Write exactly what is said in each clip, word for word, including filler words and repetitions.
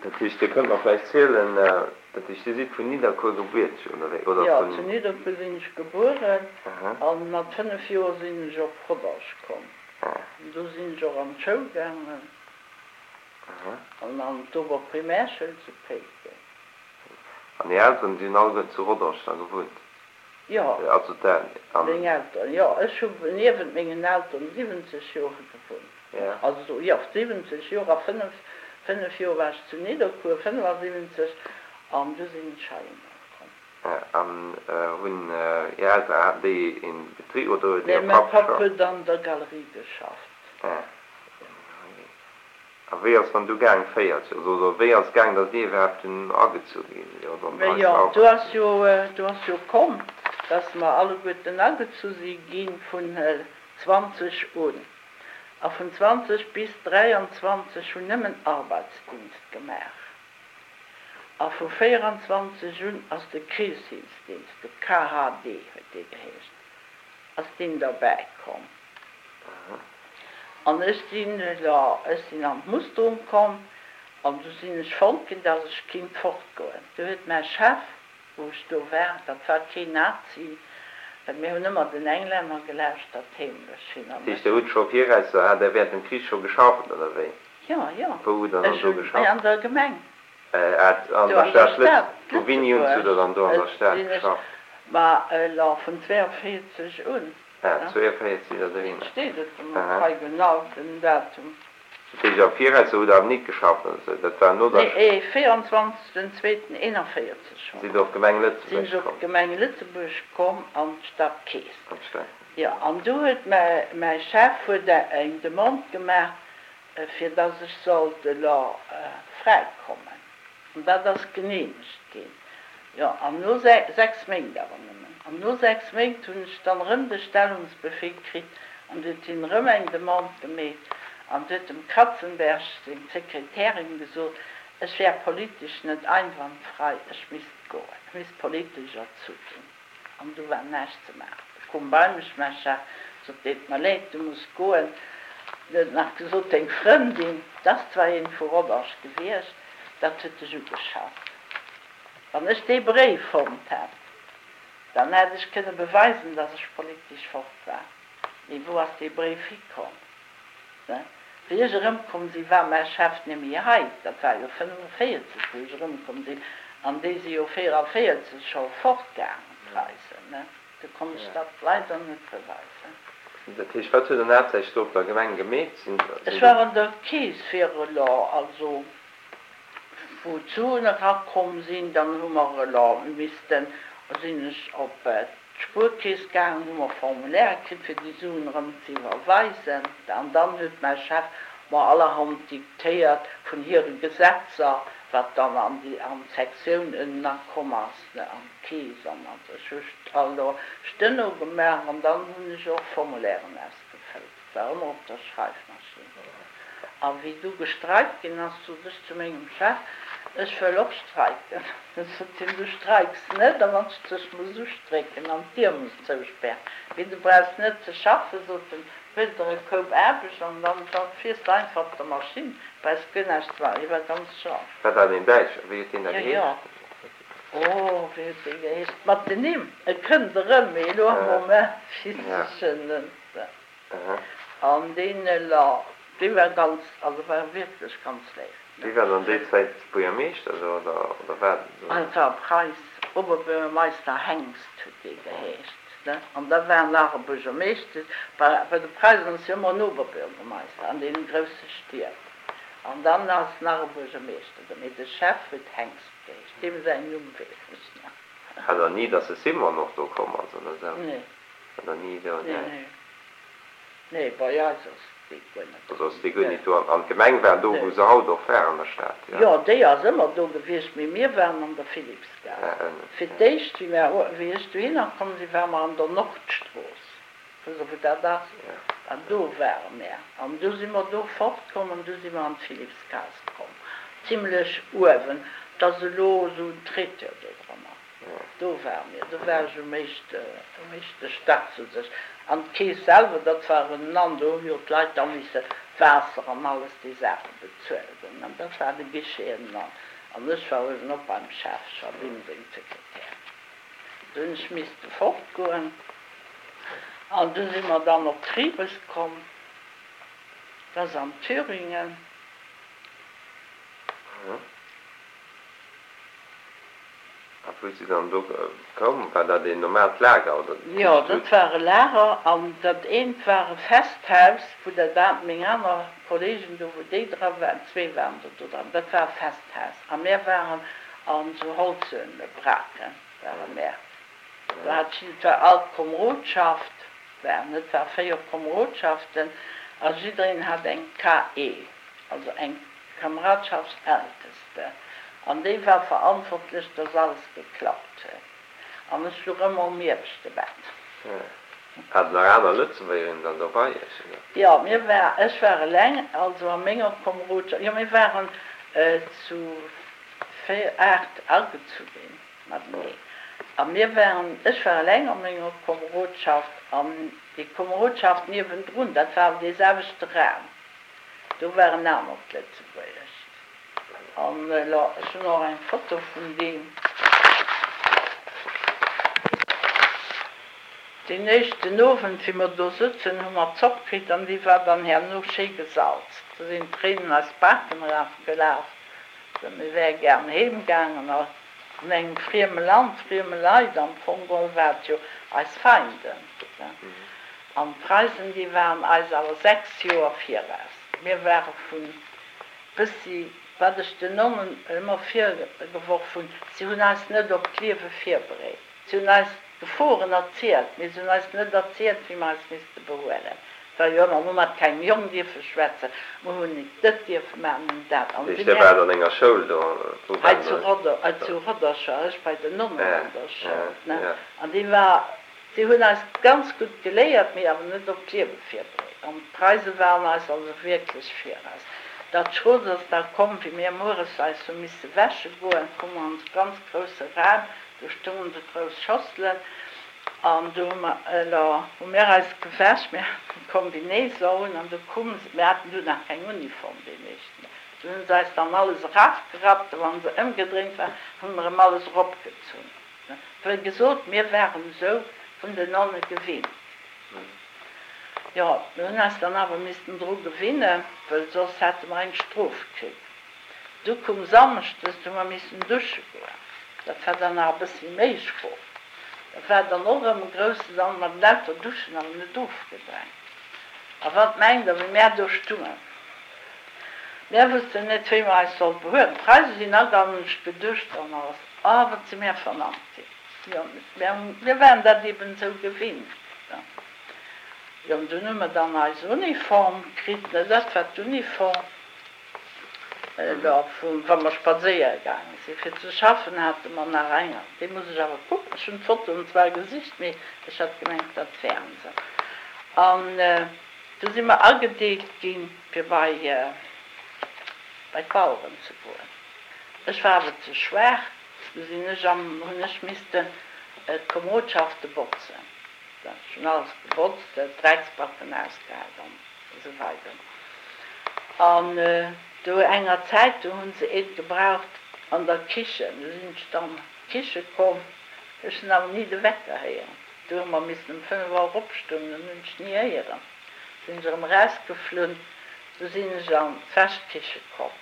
Dat heescht, Dir kënnt mer vläicht zielen, dat heescht, Dir sidd vun Nidderkuer gebuert, oder wéi? Oder Jo, vun. zu Nidderkuer sinn ech gebueren Aha. a mat fënnef Joer sinn ech op Rodange komm. Ah. An do sinn ech och an d'Schoul gaangen Aha. an an d'Oberprimärschoul zu Péiteng. An Är Elteren, déi hunn alleguerten zu Rodange da gewunnt? Jo. Also d'El, an. Meng Elteren, jo. Ech hu niewent mengen Elteren siwwenzeg Joer gewunnt. Ja. Also, jo, siwwenzeg Joer a fënnef, fënnef Joer war ech zu Nidderkuer, fënnefasiwwenzeg, an du sinn ech heihinner komm. Ja, an hunn Är Elteren, haten déi een Betrib oder huet Nee, Är mäi Papp Papp scho. huet an der Galerie geschafft. Ja. A wéi ass dann du gaang véierzeg, also oder wéi ass gaang, datt Dir iwwerhaapt dunn agezu gi sidd oder an Mä d'Preisen jo, do Arbeiter? ass jo, do ass jo komm, datt mer alleguerten agezu si gi vun zwanzeg un. A vun zwanzeg bis dräianzwanzeg hunn nëmmen Arbeitsdienst gemaach. A vu véieranzwanzeg un ass de Krichshilfsdienst, de K H D huet dee geheescht, ass deen derbäi komm. An ech sinn, jo, ech sinn an d'Musterung komm an du sinn ech fonnt ginn, dass ech kinnt fortgoen. Du huet mäi Chef, wou ech do war, dat war keen Nazi, well mir hunn ëmmer den Englänner gelauschtert, heemlech hin Dat an heescht, ech. Dir hutt scho viraus, hat Der während dem Krich scho geschafft, oder wéi? Jo, jo, Wou hutt Der dann ech do hunn, geschafft? an der Gemeng. Äh, an Do der an der Stad Lëtz, Stad vu wéini un hutt Lëtzebuerg Der dann do an der Stad sinn ech, geschafft? ma elo vun zwéianvéierzeg un. Ah, zwéianvéierzeg sidd Der dohinner. Steet et Aha. hei genau den Datum. Dat heescht, am Viraus hutt Der awer nit geschafft oder sou? Dat war no der. Nee, véieranzwanzeg den zweeten eenanvéierzeg schonn Sidd Der op d'Gemeng sinn Lëtzebuerg ech op komm? d'Gemeng Lëtzebuerg komm an d'Stadkeess. An d'Stad. Jo, an du huet mäi mäi Chef huet eng Demande gemaach, fir dass ech sollt elo fräikommen. An dat ass geneemegt ginn. Jo, an no sechs Méint awer nëmmen. An no sechs Méint hunn ech dann erëm de Stellungsbefehl kritt an du huet hien erëm eng Demande gemeet an du huet dem Kratzenberg seng Sekretärin gesot, ech wär politesch net einwandfrei, ech misst goen, ech misst politesch erzu ginn. An du war näischt ze maachen. Du koum bei mech mäi Chef, sot, Deet mer leed, du muss goen. Du huet nach gesot, deng Frëndin, 't ass zwar een vu Rodange gewiescht, dat huet dech ugeschafft. Wann ech dee Bréif fonnt hätt, dann hätt ech kënne beweisen, dass ech politesch fort war. Mee wou ass dee Bréif hikomm? Wéi ech erëmkomm sinn, war mäi Chef nemmi hei. Dat war jo fënnefenvéierzeg, wou ech erëmkomm sinn, an déi si jo véieranvéierzeg scho fortgaangen, d'Preisen. Du konnt ech dat leider net beweisen. Dat heescht, wat hutt Der dann haaptsächlech do op der Gemeng gemeet? Sinn Ech do. war an der Keess fir elo, also wou d'Suen erakomm sinn, dann hu mer elo missten, sinn ech op d'Spuerkeess gaangen, hu mer Formulaire kritt, fir déi Suen erëm ze iwwerweisen. An dann huet mäi Chef mer allerhand diktéiert vun hire Gesetzer, wat dann an déi, an d'Sektioun ënnen akomm ass, an d'Keess an also. Ech hu elo Steno gemaach an dann hunn ech och Formulairen ausgefëllt. Et war ëmmer op der Schreifmaschinn. A wéi du gestreikt ginn ass, sot ech zu mengem Chef, Ech wëll och streiken. Du sot hien, Du streiks net, a wann ech dech muss ustrécken an d'Dier muss zouspären. Mee du brauchs net ze schaffen, sot en, huel der e Koup Aarbecht an dann fiers de einfach op der Maschinn, brauchs guer näischt ze maachen. Hie war ganz scharf. War dat een Däitscher? Wéi huet deen da Jo, jo. geheescht? Oh, wéi huet dee geheescht? Mat den Nimm, et kënnt erëm, mee elo am Moment weess ech en net. An deen elo, dee war ganz, also war wierklech ganz léif, ne? Wie war dann déi Zäit Buergermeeschter do, oder, oder war dat esou? Et war Preis, Oberbürgermeister Hengst huet dee geheescht, ne? An da war nach e Buergermeeschter, bei, bei de Preisen ass jo ëmmer en Oberbürgermeister an deene grousse Stied. An dann ass nach e Buergermeeschter do, mee de Chef huet Hengst geheescht, deem säin Numm weess ech nach. War dann ni, dass de Simon och do komm ass, oder esou? Nee. War dann ni do, Nee, nee. nee. Nee, bei eis ass déi guer net Also ass komm. déi guer Nee. nit do. An d'Gemeng war do, Nee. wou se haut och war, an der Stad, jo? Jo, déi ass ëmmer do gewiescht, mee mir waren an der Philippsgaass. Ah, ënnen, Fir jo. d'éischt, wéi mir, wéi ech dohinner komm sinn, ware mer an der Nordstrooss. Wësst Der, wou dat ass? Jo. An do ware mir. An du si mer do fortkomm an du si mer an d'Philippsgaass komm, zimlech uewen. 't ass elo esou en Traiteur do drënner. Do ware mir, do war ech um éischte, um éischte Stack sou sech. An d'Keess selwer, dat war en an, do hu jo d'Leit da misse d'Waasser an alles déi Saache bezuelt hunn. An dat war de Guichet ënnenan. An ech war uewen och beim Chef, ech war deem seng Sekretär. Du hunn ech misste fortgoen an du si mer dann op Triebes komm, dat ass an Thüringen. A wou si dann do koum, war dat een normaalt Lager oder? Jo, dat war e Lager an dat eent war e Festhaus, wou dat war, meng aner Kollegen do, wou déi dra waren, zwee waren der do dran, dat war e Festhaus a mär waren an esou holze Braken ware mär. Do hat jiddwer all d'Komrodschaft waren, et war véier Komrodschaften a jiddereen hat eng KE, also eng Kameradschaftsälteste. An déi war verantwortlech, dass alles geklappt huet. An ech luch ëmmer um ieweschte Bett. Hat nach aner Lëtzebuergerinnen dann do bei iech, oder? Jo, mir war, ech war eleng, also a menger Komrodschaft, jo, mir waren zu véier, aacht agezu ginn matenee. A mir waren, ech war eleng a menger Komrodschaft an déi Komrodschaft niewendrun, dat war awer dee selwechte Raum, do war en anert Lëtzebuergescht. An elo, ech hunn och eng Foto vun deem. Deen éischten Owend, wéi mer do sutzen, hu mer Zopp kritt an déi war dann herno schéi gesalzt. Do sinn d'Tréinen eis d'Baken erafgelaf. Mir wäre gären heem gaangen a an engem frieme Land, frieme Leit, am Fong geholl war et jo eis Feinden. An d'Preisen, déi waren eis awer sechs Joer viraus. Mir ware vun bëssi, wat ech den Nonnen ëmmer virgeworf hunn, si hunn eis net op d'Liewe virbereet. Si hunn eis d'Geforen erzielt, mee si hunn eis net erzielt, wéi mer eis misste behuelen. Et war jo ëmmer, mer hu mat kengem Jong dierfe schwätzen, mer hunn nit dët dierfe maachen, mer hunn dat. An si Dir mär. waart an enger Schoul do? Wou Hei waren zu der? Rodder, zu Roddercher, ech bei den Nonnen Ja, an der Schoul, ja, ne. ja. An déi war. Si hunn eis ganz gutt geléiert, mee awer net op d'Liewe virbereet. An d'Preise waren eis also wierklech viraus. Dat Schrot ass da komm, wéi mir mueres eis hu misse wäsche goen, koum mer an esou ganz grousse Raum, do stungen esou grouss Schosselen an do hu mer, elo hu mir eis gewäsch, mir haten d'Combinaison un an do kumme se, mir haten du nach keng Uniform déi meeschten, do hu se eis dann alles erafgerappt a wann se ëmgedréint waren, hu mer erëm alles eropgezunn. Wéi gesot, mir waren esou vun den Nonne gewinnt. Jo, mir hunn eis dann awer missten dru gewinnen, wëll soss hätte mer eng Strof kritt. Du koum samschdes, du hu mer missen dusche goen. Dat war dann nach e bëssi méi schro. Dat war dann och erëm e grousse Sand, mat lauter Duschen awer net ofgedrängt. A wat mengt Der, wéi mär do stungen? Mär wussten net, wéi mer eis sollte behuelen. D'Preise sinn agaangen, ech geduscht an alles. Oh, wat si mär vernannt ginn. Jo, mir waren dat eben esou gewinnt. Jo, an dunn hu mer dann eis Uniform kritt, ne, dat war d'Uniform, da vu wa mer spadséiere gaange sinn. Fir ze schaffen hate mer nach eng, déi muss ech awer kucken, ech hunn d'Fotoen zwar gesicht, mee ech hat gemengt, dat wären se. An du si mer agedeelt ginn, fir bei bei d'Baueren ze goen. Ech war awer ze schwaach, du sinn ech am, hunn ech missten d'Komodschafte botzen. Ech hunn alles gebotzt, d'Drecksbacken ausgehäit an esou weider. An do enger Zäit, do hunn se eent gebraucht an der Kichen. Du sinn ech dann an d'Kiche komm, ech hunn awer ni de Wecker héieren. Du hu mer missen ëm fënnef Auer opstoen, den hunn ech ni héieren. Sinn ech erëm erausgeflunn, du sinn ech an d'Wäschkiche komm.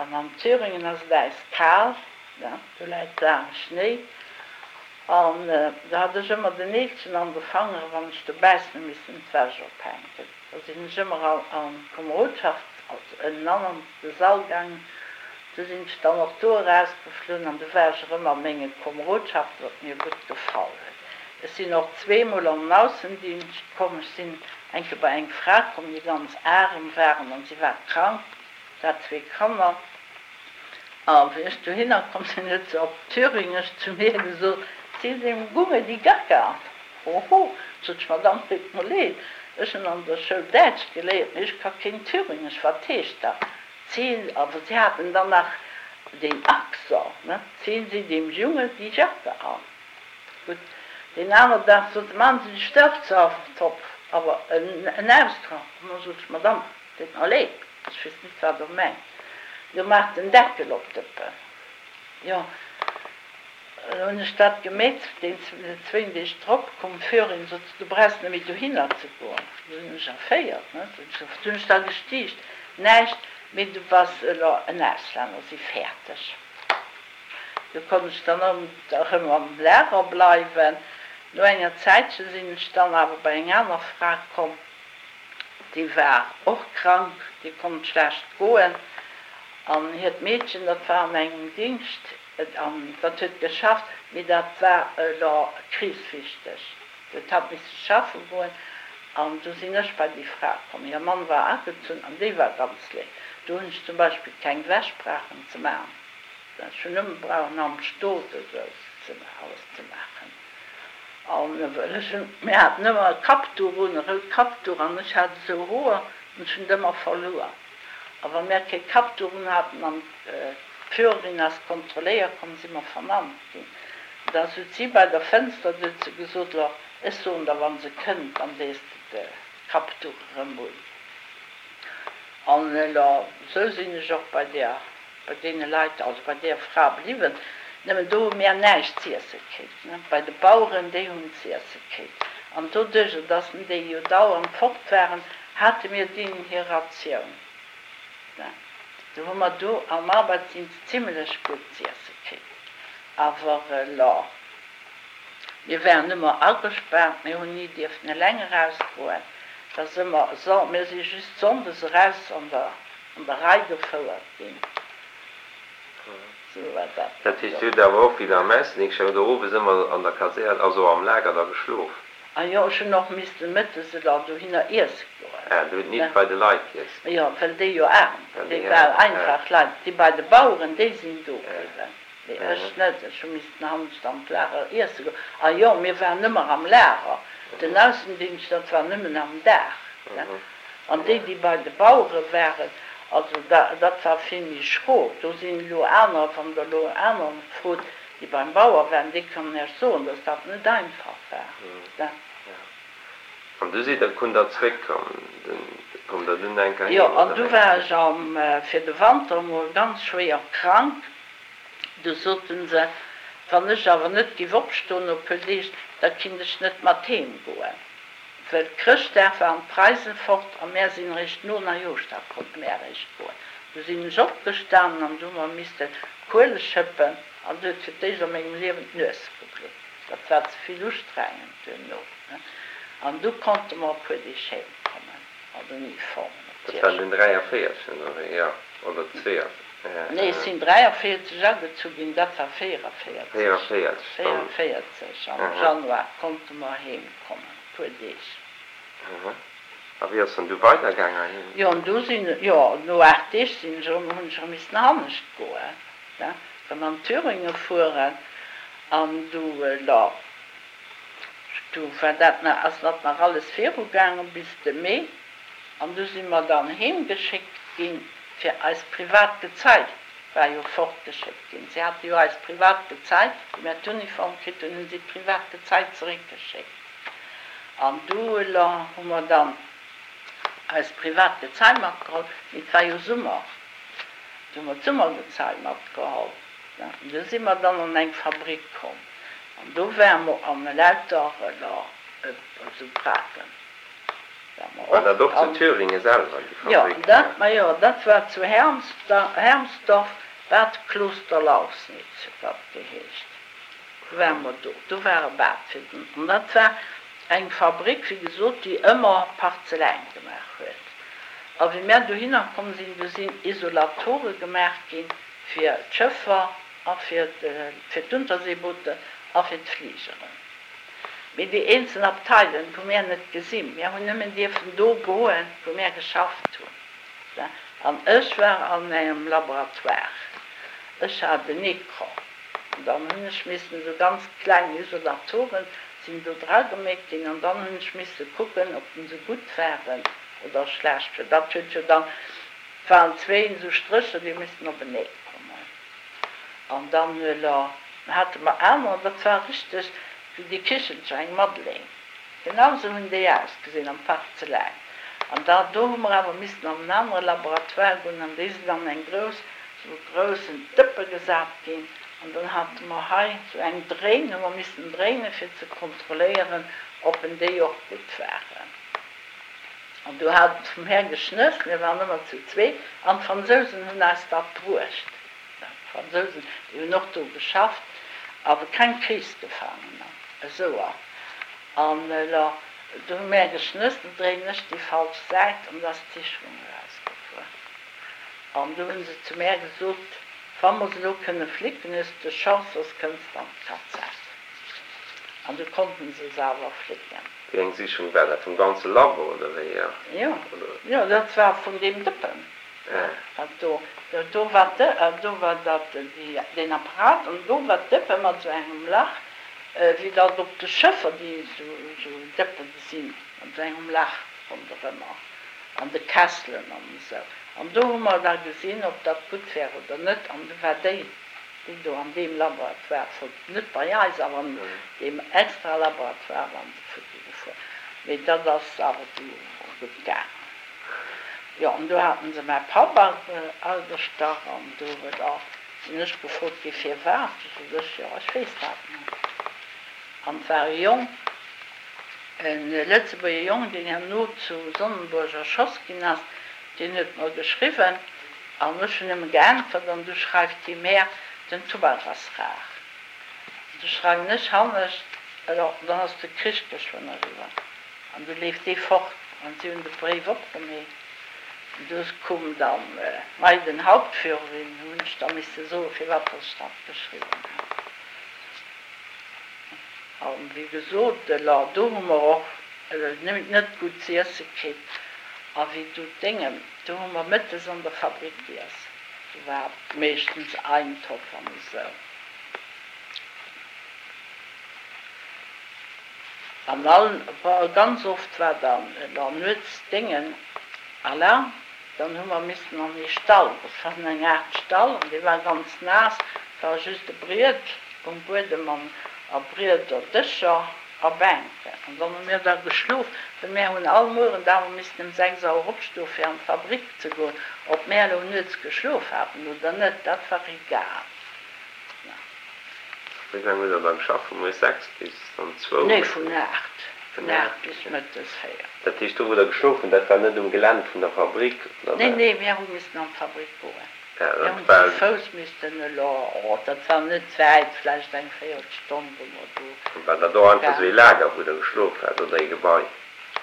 An an Thüringen ass et äiskal, do läit waarme Schnéi. An do hat ech ëmmer den Neelchen an de Fangere wann ech dobaussen hu missen d'Wäsch ophänken. Da sinn ech ëmmer an d'Komerodschaft, also ënnenan an de Sall gaangen. Du sinn ech dann och do erausgeflunn an du war ech erëm a menge Komerodschaften, wat mir gutt gefall huet. Ech sinn och zweemol an den Aussendienscht komm. Ech sinn eng Kéier bei eng Fra komm, déi ganz arem waren an si war krank, si hat zwee Kanner. A wéi ech dohinner komm sinn, huet se op Thüringesch zu mir gesot, Zieh dem Gunge die Jacke an. Hoho, sot ech, Madame, deet mer leed, ech hunn an der Schoul Däitsch geléiert, mee ech ka keen Thüringesch, wat heescht dat? Ziehen, awer si haten dann nach deen Accent, ne, Ziehen Sie dem Junge die Jacke an. Gutt, deen aner Dag sot se, Machen Sie den Staubsaugertopf, awer en Ausdrock. An da sot ech, Madame, Deet mer leed, ech weess net, wat Der mengt. Jo, maach den Deckel op d'Dëppen. Jo, lo hunn ech dat gemeet. Deen zwéin Deeg drop koum d'Führerin, sot se, du brauchs net méi dohinner ze goen. Du hunn ech erféiert, ne? Du hunn ech da gestiicht, Näischt, mee du bass elo en Auslänner, si fäerteg. Du konnt ech dann erëm am Lager bleiwen. No enger Zäitche sinn ech dann awer bei eng aner Fra komm, déi war och krank, déi konnt schlecht goen an hiert Meedchen, dat war an engem Dingscht an dat huet geschafft, mee dat war elo krichswichteg, do huet hatt misse schaffe goen an du sinn ech bei déi Fra komm. Hir Mann war agezunn an déi war ganz léif. Do hunn ech zum Beispill keng Wäsch brauchen ze maachen. Ech hunn nëmme brauchen am Stot esou ze alles ze maachen. An well ech hunn, mir haten ëmmer e Kappduch un, e rout Kappduch, an ech hat esou Hoer an ech hunn et ëmmer verluer. A wa mär kee Kappduch un haten an d'Führerin ass kontrolléier komm, si mer vernannt ginn. Da sot si bei der Fënster, du huet se gesot, Lo, ech soen der, wa se kënnt, dann dees de de Kappduch erëm un. An elo, esou sinn ech och bei där, bei deene Leit, also bei där Fra bliwwen. Nëmmen do hu mär näischt z'iesse kritt, ne. Bei de Baueren, déi hunn z'iesse kritt. An doduerjer, dass déi jo dauernd fort waren, hate mir deenen hir Ratioun, ne. Do hu mer do am Arbeitsdienst zimlech gutt z'iesse kritt. Awer elo, mir waren ëmmer agespaart, mir hunn ni dierfen eleng erausgoen. Et ass ëmmer, mir si just sonndes eraus an der, an der Rei gefouert ginn. Sou war dat Dat dann heescht, do. Dir hutt awer och wéi Der am Aussendingscht waart, oder owes ëmmer an der Kasär, also am Lager da geschlof? A jo, ech hunn och missten mëttes elo dohinner iesse goen, Ah, Dir hutt ne. nit bei de Leit giess? Jo, well déi jo aarm, Well déi déi war aarm, ah. einfach Leit. Déi bei de Baueren, déi sinn do Ah, bliwwen, mee aha. ech net. Ech hu missten hannescht an d'Lager iesse goen. A jo, mir waren ëmmer am Lager. Den Mhm. Aussendingscht, dat war nëmmen am Dag, ne. Mhm, An déi, ja. déi bei de Bauere waren, also da, dat war vill méi schro. Do sinn elo anerer, wann Der elo anerer frot, déi beim Bauer waren, déi kënnen Iech soen, dass dat net einfach war, Mhm, ne. ja. An du sidd der, kunnt der zréckkommen, koum der dunn eng Kéier Jo, heem, an oder du wéi? war ech am, fir de Wanter emol ganz schwéier krank. Du soten se, wann ech awer net giff opstoen no puer Deeg, da kinnt ech net mat heem goen, well Chrëschtdag waren d'Preisen fort a mär sinn eréischt no Neijooschdag konnte mär eréischt goen. Du sinn ech opgestanen an du hu mer misste Kuele schëppen an du huet fir d'éischt a mengem Liewen d'Nues geblutt. Dat war ze vill ustrengend duerno, ne. An du konnte mer e puer Deeg heem kommen, mat Uniform Dat war natierlech. den dräiavéierzeg oder wéi? Jo, oder Nee, ech zweeavéierzeg? sinn dräiavéierzeg agezu ginn, dat war véieravierzeg. Véieravierzeg dann. Véieravierzeg am Aha. Januar konnte mer heem kommen, e puer Deeg. Aha. A wéi ass dann du weidergaangen heem? Jo, an du sinn, jo, no aacht Deeg sinn ech erëm, hunn ech erëm missen hannescht goen, ne, erëm an Thüringe fueren. An du, lo, du war dat nach, ass dat nach alles virugaangen bis de Mee. An du si mer dann heemgeschéckt ginn, fir eist privat Gezei war jo fortgeschéckt ginn. Si hate jo eist privat Gezei, wéi mir d'Uniform kritt hunn, hunn si d'privat Gezei zeréckgeschéckt. An du elo hu mer dann eist privat Gezei matgeholl, mee et war jo Summer, du hu mer d'Summergezei matgeholl. An du si mer dann an eng Fabrik komm an do ware mer an elauter elo esou Braken ware mer War och dat och zu an. Thüringen selwer, déi Jo, Fabrik? dat, majo, dat war zu Hermsdorf, Bad Klosterlausnitz huet dat geheescht. Du ware mer do, do war e Bad fir den, an dat war eng Fabrik, wéi gesot, déi ëmmer Parzeläin gemaach huet. A wéi mär dohinner komm sinn, du sinn Isolatore gemaach gi fir d'Schëffer a fir fir d'Unterseebooten a fir d'Fligeren. Mee déi eenzel Abteilen hu mär net gesinn. Mär hunn nëmmen dierfen do goen, wou mär geschafft hunn. An ech war an engem Laboratoire. Ech hat en Ecran. An dann hunn ech missen, esou ganz kleng Isolatoren sinn do dragemeet ginn, an dann hunn ech misse kucken, ob se gutt waren oder schlecht. Well dat huet jo dann, et waren zwéin esou Strécher, déi hu missen openee kommen. An dann elo hate mer anerer, dat war richteg wéi déi Kichelcher, eng Madeleine, genau esou hunn déi ausgesinn am Parzeläin. An da do hu mer awer missten an en anere Laboratoire goen an déi sinn an eng grouss, sou e groussen Dëppe gesat ginn an dann hate mer hei sou eng Dréin, hu mer missen dréine fir ze kontrolléieren, ob en déi och gutt waren. An do hat vum Här geschnësst, mir waren ëmmer zu zwee, an d'Fransousen hunn eis dat bruecht. D'Fransousen, déi hunn och do geschafft, awer keng Kriegsgefaangener, esou. An elo, do hu mär geschnësst, du dréinen ech déi falsch Säit an da ass d'Sicherung erausgefuer. An du hu se zu mär gesot, Wa mer se elo kënne flicken, hues de Chance, soss kënns de an d'Kazett. An du konnten se se awer flicken. Wéi eng Sicherung war dat? Vum ganze Labo, oder wéi? Jo, jo, dat war vun deem Dëppen. Dat do, do war de, do war dat, déi, deen Apparat an do war d'Dëppe mat esou engem Lach, wéi dat op de Schëffer déi esou Dëppen sinn, mat esou engem Lach ronderëmmer an de Kesselen an esou. An do hu mer da gesinn, ob dat gutt wär oder net. An du war déi, déi do an deem Laboratoire fort, net bei eis, awer an deem extra Laboratoire waren se futti gefuer. Mee dat ass awer du gutt gaangen. Jo, an do haten se mäi Papp agestach an do huet a sinn ech gefrot gi firwat. Du sot ech, jo ech weess dat net. An et war e Jong, e Lëtzebuerger Jong, deen herno zu Sonnenburg erschoss ginn ass, deen huet mer geschriwwen an ech hunn nëmme geäntwert an du schreift hie mär, den Tubak ass rar. Du schreiwen ech hannescht, alors dann ass de Krich geschwënn eriwwer. An du leeft dee fort an si hunn de Bréif opgemeet. An du koum dann mei den Hauptführerin, hu hunn ech da misse soen, firwat dass ech dat geschriwwen hat. An wéi gesot, elo do hu mer och net gutt z'iesse kritt. A wéi du d'Déngen, do hu mer mëttes an der Fabrik giess, do war meeschtens Eintopf an esou. An all, ganz oft war dann elo nuets Déngen Alarm, dann hu mer missen an ee Stall, dat war eng Aart Stall an dee war ganz naass, et war just e Briet um Buedem an a Brieder, Dëscher a Bänken. An dann hu mir da geschlof, well mär hunn all Mueren awer missen ëm sechs Auer opstoe fir an d'Fabrik ze goen. Ob mär elo nuets geschlof haten oder net, dat war egal. Wéi laang hutt Der da geschafft? Vu moies sechs bis dann zwou? Nee, vun aacht. Vun aacht bis mëttes véier. Dat heescht, do wou Der geschlof hutt, dat war net um Gelänn vun der Fabrik, oder Nee, war? nee, mir hu missen an d'Fabrik goen. Ja, Mir dat hunn zu war. Fouss missten elo, oh, dat war net wäit, vläicht eng Véierelstonn, wou mer do War dat och einfach esou ee waren. Lager, wou Der geschlof hat, oder ee Gebai?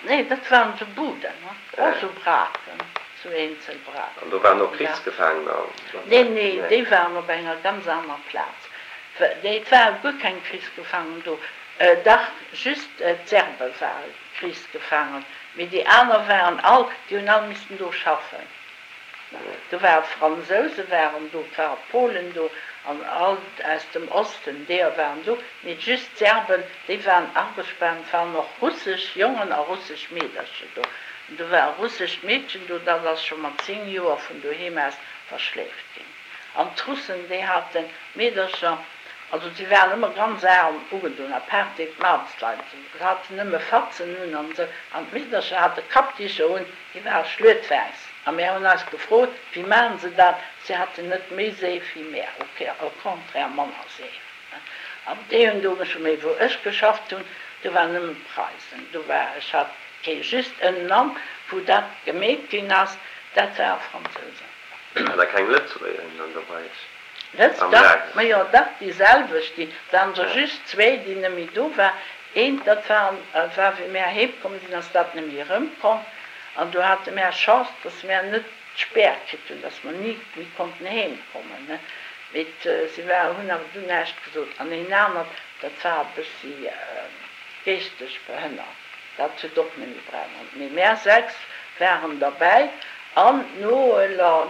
Nee, dat waren esou Buden, och esou Braken, esou eenzel An Braken. do waren och Ja. Krichsgefaangener Nee, derbäi? nee, Nee. déi waren op enger ganz aner Plaz. Nee, et ware guer keng Krichsgefaangen do. Dach, just d'Serbe ware Krichsgefaangen, mee déi aner waren all, déi hunn all missten do schaffen. Do ware Fransouse waren do, et ware Polen do an all aus dem Osten, deeër waren do, mee just d'Serben, déi waren agespaant. Et waren och russesch Jongen a russesch Meedercher do. An do war e russescht Meedchen do, dat ass scho mat zéng Joer vun doheem aus verschleeft ginn. An d'Russen, déi haten d'Meedercher, also si waren ëmmer ganz aarm ugedon, apaart déi d'Maartsleit, se haten nëmme Fatzen un an esou, an d'Meedercher hate Kappdicher un, déi ware schluetwäiss. A mär hunn eis gefrot, wéi maachen se dat? Si haten net méi Seef wéi mär, au contraire manner Seef. An déi hunn do geschafft. Mee wou ech geschafft hunn, do waren nëmme Preisen. Do war, ech hat kee, just ënnenan, wou dat gemeet ginn ass, dat ware Fransousen. War da keng Lëtzebuergerin dann dobäi Lëtz, am dach, Lager? majo, dach, déi selwecht, déi, et waren der just zwee, déi net méi do waren. Eent, dat war, war wéi mär heem komm sinn, ass dat net méi erëmkomm. An do hate mär Chance, dass mär net d'Spär kritt hunn, dass mer ni méi konnten heem kommen, ne. Mee si war, hunn awer du näischt gesot. An een anert, dat war e bëssi geeschteg behënnert, dat huet och net méi brauchen. Mee mär sechs waren derbäi. An no,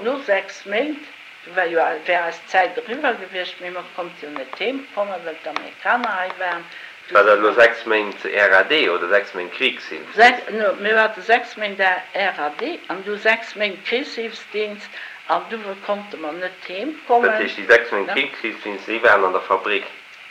no sechs Méint, du war jo, wär eis Zäit eriwwer gewiescht, mee mer konnte jo net heem kommen, well d'Amerikaner hei waren, du War si dat elo mer. sechs Méint R A D oder sechs Méint Sechs, Kriegshilfsdienst? no, mir hate sechs Méint R A D an du sechs Méint Kriegshilfsdienst an du konnte mer net heem Dat kommen. heescht, déi sechs Méint Ne? Kriegshilfsdienst, déi waren an der Fabrik?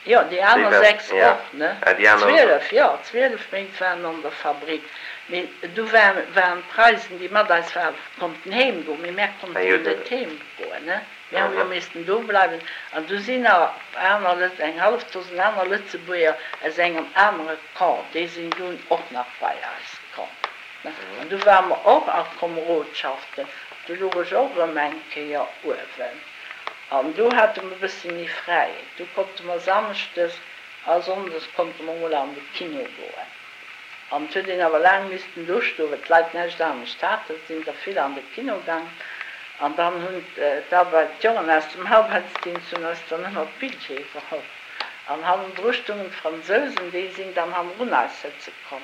Jo, déi Déi aner waren, sechs ja, och, ne? ah, déi aner och. Zwielef, jo, zwielef Méint waren an der Fabrik. Mee du waren d'Preisen, déi mat eis waren, konnten heem goen, mee mär konnten net heem goen, ne? Mär hu jo missten do bleiwen. An du sinn nach aner Lëtz, eng hallef Dosen aner Lëtzebuerger aus engem anere Camp, déi sinn dunn och nach bei eis komm, ne? An du ware mer och a Komerodschaften, du luch ech och erëm eng Kéier uewen. An do hate mer e bësse méi Fräiheet, do konnte mer samschdes a sonndes konnte mer mol an de Kino goen. An et huet een awer laang missten do stoen, well d'Leit näischt anescht haten. Et sinn der vill an de Kino gaang. An dann hunn d'Arbeit, d'Jongen aus dem Arbeitsdienst hunn eis dann ëmmer d'Billjeeë geholl. An hannendru stungen d'Fransousen, déi sinn dann hannendrun eis sëtze komm.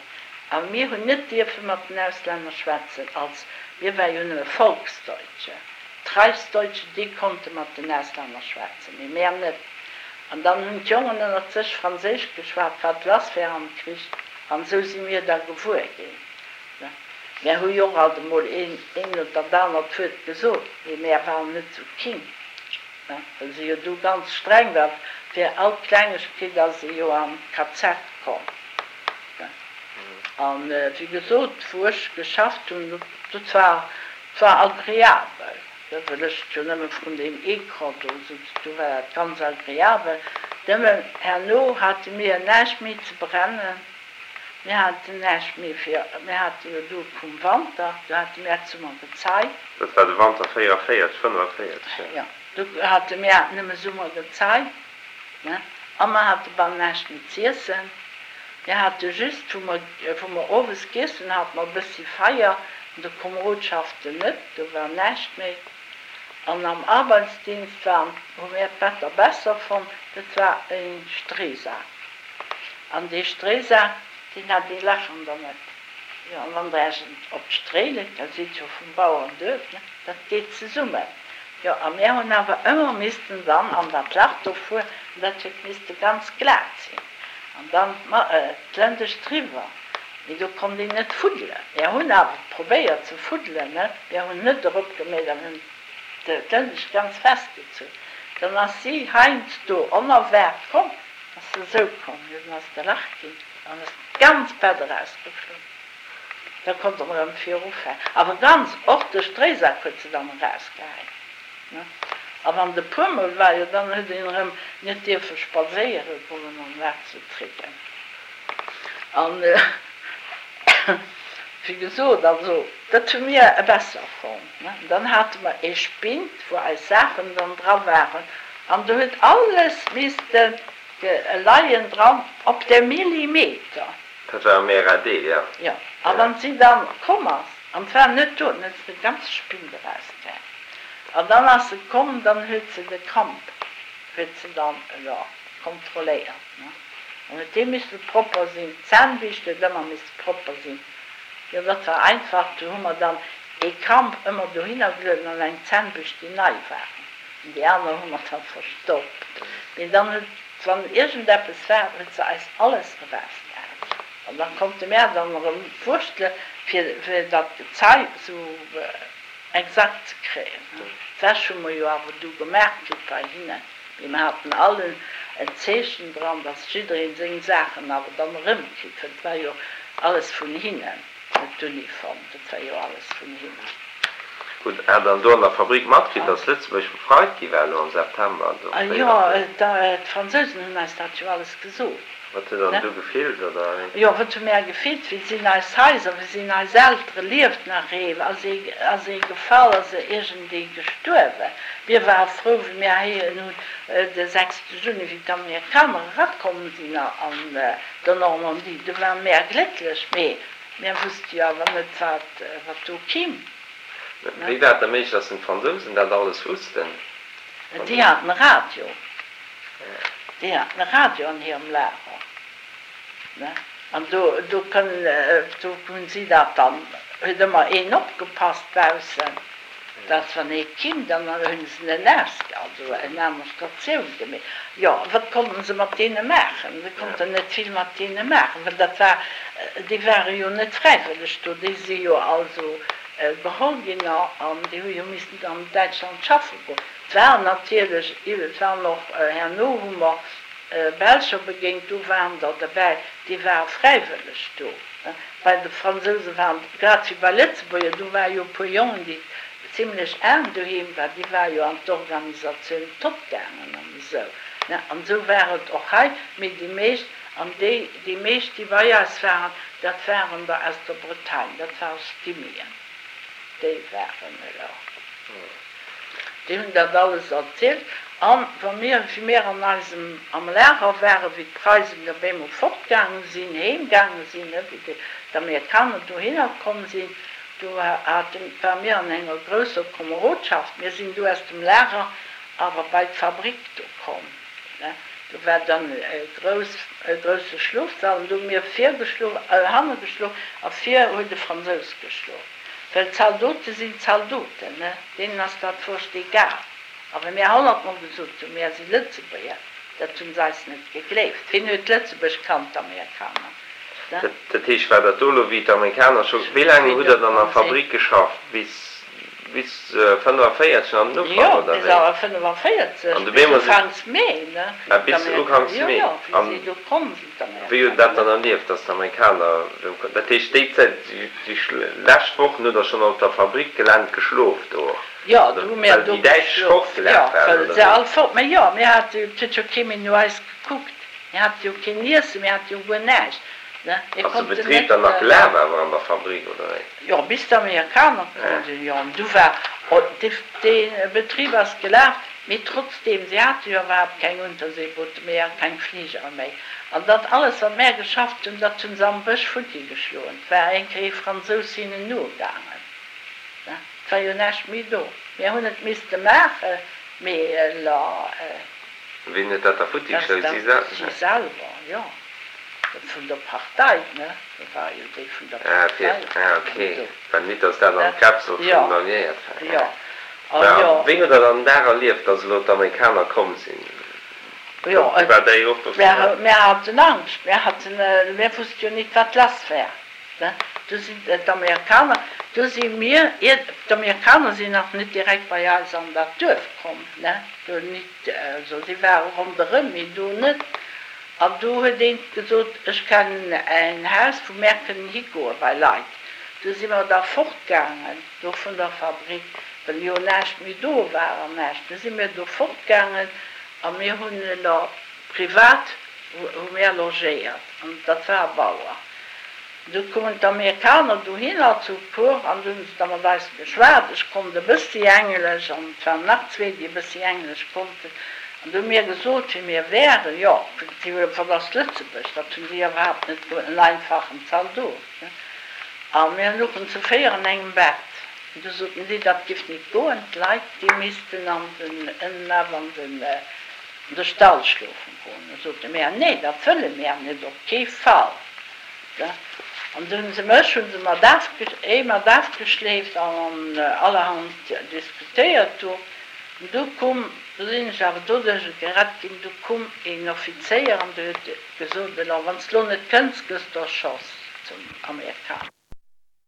A mir hunn net dierfe mat den Auslänner schwätzen, als, mir ware jo nëmme Volksdeutsche. D'Reichsdeutsche, déi konnte mat den Auslänner schwätzen, mee mär net. An dann hunn d'Jongen ënnert sech Franséisch geschwat, wat lass wär am Krich. An esou si mir da gewuer ginn. Mär hu jo och alt emol een oder dat anert Wuert gesot, mee mär waren net esou king, well se jo do ganz streng war. Fir all Klengegkeet ass ee jo an d'K Z komm. An wéi gesot, wou ech geschafft hunn, dat war war agreabel, well ech jo nëmme vrun deem Ecran do sutz, do war dat ganz agreabel. Nëmmen herno hate mir näischt méi ze brennen, mir haten näischt méi fir, mir hate jo do vum Wanter, do hate mär d'Summergezei. Dat war de Wanter véierunvéierzeg, fënnefenvéierzeg, jo. Jo, do hate mär nëmme Summergezei, ne, a mer hate bal näischt méi z'iessen. Mir hate just, wou mer, wou mer owes giess hunn, hate mer e bëssi Feier, an de Komerodschaften net, do war näischt méi. An am Arbeitsdienst waren, hu mär d'Better besser fonnt, dat war e Streesak. An dee Streesak, deen hat ee Lach an der Mëtt. Jo, an wann Der Iech op d'Stréi leet, dat sidd jo vum Bauernduerf, ne, dat geet zesummen. Jo, a mär hunn awer ëmmer missten dann an dat Lach do fueren, an dat huet misste ganz glat sinn, an dann d'Lëndescht driwwer. Mee do konnt een net fuddelen. Mär hunn awer probéiert ze fuddelen, ne, mär hunn net eropgemeet an hunn d'Lëndescht ganz festgezunn. Dann ass si heiansdo onerwaart komm, ass se esou komm, jo, dann ass et e Lach ginn, dann ass d'ganz Bett erausgeflunn. Da konnt en erëm virufänken. Awer ganz, och de Stréisak huet se dann erausgehäit, ne? A wann et e puermol war, jo dann huet een erëm net dierfe spadséiere goen an wat ze tricken. An wéi gesot, also dat hu mir besser fonnt, ne? Dann hate mer ee Spind, wou eis Saachen dann dra waren, an do huet alles misste leien dran op de Millimeter. Dat war am R A D, jo. Jo, a wann si dann komm ass, an 't war net do, dann huet se de ganze Spind erausgehäit. An dann ass se komm, dann huet se de Kamp huet se dann, jo, kontrolléiert, ne. Dann huet dee misse propper sinn, d'Zännbiischt huet ëmmer misse propper sinn. Jo, dat war einfach, do hu mer dann ee Kamp ëmmer dohinner gelueden an eng Zännbiischt, déi nei waren, an déi aner hu mer da verstoppt. Mee dann huet, wann iergendeppes war, huet se eis alles erausgehäit. An da konnte mär dann erëm wurschtele fir fir dat Gezei esou exakt ze kréien. D'Wäsch hu mer jo awer du gemaach kritt bei hinnen, mee mer haten all en Zeechen dran, dass jiddereen seng Saachen awer dann erëmkritt huet. Et war jo alles vun hinnen, net d'Uniform, dat war jo alles vun hinnen. Hutt Der dann do an der Fabrik matkritt, dass Lëtzebuerg befreit gi war elo am September do Jo, véierundvierzeg? d'Fransousen hunn eis dat jo alles gesot. Wat hutt Der dann du gefillt, oder wéi? Jo, wat hu mär gefillt? Wéi sinn eis Haiser, wéi sinn eis Eltere? Lieft nach ee? Ass ee, ass ee gefall? Ass iergendee gestuerwen? Mir ware frou, wéi mär héieren hunn, de sechste Juni, wéi d'Amerikaner erakomm sinn an der Normandie. Du ware mär glécklech, mee mär wusste jo awer net, wat, wat do kimm. Wéi war et da méiglech, dass denn d'Fransousen dat alles wussten? Déi haten e Radio. Déi haten e Radio an hirem Lager, ne? An do, do kënnen, do hunn si dat dann, huet ëmmer een opgepasst baussen, dass wann ee kimm, dann hunn se en ausge, also eng aner Statioun gemeet. Jo, wat konnten se mat deene maachen? Se konnten net vill mat deene maachen, well dat war, déi ware jo net fräiwëlleg do, déi si jo also geholl ginn an déi hu jo missen an Däitschland schaffe goen. Et waren natierlech, et waren och, herno hu mer Belscher begéint, do waren der derbäi, déi ware fräiwëlleg do, Bei de Fransouse waren, grad wéi bei Lëtzebuerger, do ware jo e puer Jongen, déi zimlech aarm doheem waren, déi ware jo an d'Organisatioun Todt gaangen an esou, ne. An esou war et och hei, mee déi meescht, an déi, déi meescht, déi bei eis waren, dat waren der aus der Bretagne, dat ware Stimmien, déi waren elo. Déi hunn dat alles erzielt. An wa mir, wéi mir an eisem, am Lager waren, wéi d'Preisen op eemol fortgaange sinn, heemgaange sinn, ne, wéi d'Amerikaner dohinner komm sinn, do haten, ware mir an enger grousser Komerodschaft. Mir sinn du aus dem Lager awer bei d'Fabrik do komm, ne. Do war dann e grouss, e grousse Schlofsall an do hu mir vir geschlof, hanne geschlof a vir huet e Fransous geschlof. Well Zaldote sinn Zaldoten, ne, deenen ass dat wurscht egal. A wa mir honnertmol gesot hunn, mir si Lëtzebuerger, dat hunn se eis net gegleeft. Wien huet Lëtzebuerg kannt? D'Amerikaner, ne. Dat heescht, war dat do elo, wéi d'Amerikaner scho, wéi laang hutt Der dann an der Fabrik geschafft? Bis, bis fënnefavéierzeg an den Ufank, Jo, oder bis wéi? a fënnefavéierzeg, An bis dobäi muss ech. ufanks Mee, ne, wéi Ah, bis d'Amerikaner, uganks jo, Mee. jo, wéi An si do komm sinn, wéi hutt Der d'Amerikaner, dat ne. dann erlieft, dass d'Amerikaner do, dat heescht, déi Zäit, déi lescht Wochen hutt Der schonn op der Fabrikgelänn geschlof do, Jo, oder do hu mir well do déi Däitsch geschlof, jo, fortgelaf waren, well oder se wéi? all fort, mä jo, mir hate jo, et huet jo kee méi no eis gekuckt, mir hate jo keen Iessen, mir hate jo guer näischt, ne, mir Ass de konnten Betrib net. dann nach gelaf awer an der Fabrik, oder wéi? Jo, bis d'Amerikaner komm Ah. sinn, jo, an du war, dee Betrib ass gelaf, mee trotzdeem, si hate jo iwwerhaapt keng Unterseeboote méi a keng Fligere méi. An dat alles, wat mär geschafft hunn, dat hunn se am Bësch futti geschloen. 't war eng Kéier ee Fransous hinnen nogaangen, ne, 't war jo näischt méi do. Mär hunn et misste maachen, mee elo. Wien huet dat da futti Dat geschloen? dat Si si selwer? selwer, jo. Dat vun der Partei, ne? Dat war jo déi vun der Ah, fir, Partei ah, waren okay. do, Well nit, dass dat an ne? d'Kapsel Jo, vun den Alliéiert war. jo, a Mä jo. wéi hutt Der dann den Dag erlieft, dass elo d'Amerikaner komm sinn? Jo, War Der jo och do mär, mär haten Angscht, mär haten, mär wusste jo nit, wat lass war, ne? Du sinn d'Amerikaner, du si mir, ier, d'Amerikaner sinn nach net direkt bei eis an dat Duerf komm, ne? Do nit, also si ware ronderëm, mee do net. An do huet eent gesot, ech kennen en Haus, wou mär kënnen higoe bei Leit. Du si mer da fortgaangen do vun der Fabrik, well jo näischt méi do war an näischt. Du si mir do fortgaangen a mir hunn elo privat hu mär logéiert an dat war e Bauer. Du koumen d'Amerikaner dohinner zu puer an du hunn se da mat eis geschwat. Ech konnt e bëssi Englesch an et waren nach zwee, déi e bëssi Englesch konnten. An du hu mir gesot, wie mir wären. Jo, si hu wat ass Lëtzebuerg? Dat hunn si iwwerhaapt net gewosst, en einfachen Zaldot, ne? A mir louchen zu véier an engem Bett. An du soten si, dat giff nit goen, d'Leit, déi missten an den, ënnen awer an den, an de Stall schlofen goen. Du sote mär, nee, dat wëlle mär net, op kee Fall. An du hunn se mech hunn se mat ee mat afgeschleeft an allerhand diskutéiert do. An du koum, du sinn ech awer doduerch gerett ginn, du koum een Offizéier an de huet gesot, elo wann s de lo net kënns, gëss de erschoss, zum Amerikaner.